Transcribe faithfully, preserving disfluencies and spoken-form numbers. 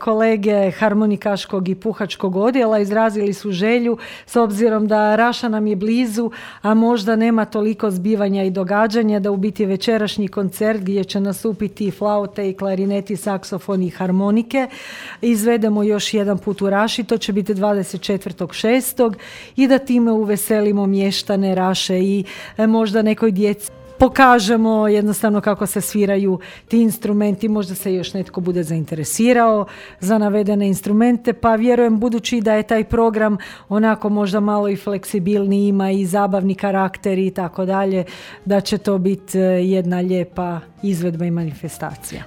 kolege harmonikaškog i puhačkog odjela izrazili su želju, s obzirom da Raša nam je blizu, a možda nema toliko zbivanja i događanja, da u biti večerašnji koncert gdje će nastupiti flaute i klarineti, saksofoni i harmonike izvedemo još jedan put u Raši, to će biti dvadeset četvrtog šestog i da time uveselimo mještane Raše i e, možda nekoj djeci pokažemo jednostavno kako se sviraju ti instrumenti, možda se još netko bude zainteresirao za navedene instrumente, pa vjerujem, budući da je taj program onako možda malo i fleksibilni, ima i zabavni karakter i tako dalje, da će to biti jedna lijepa izvedba i manifestacija.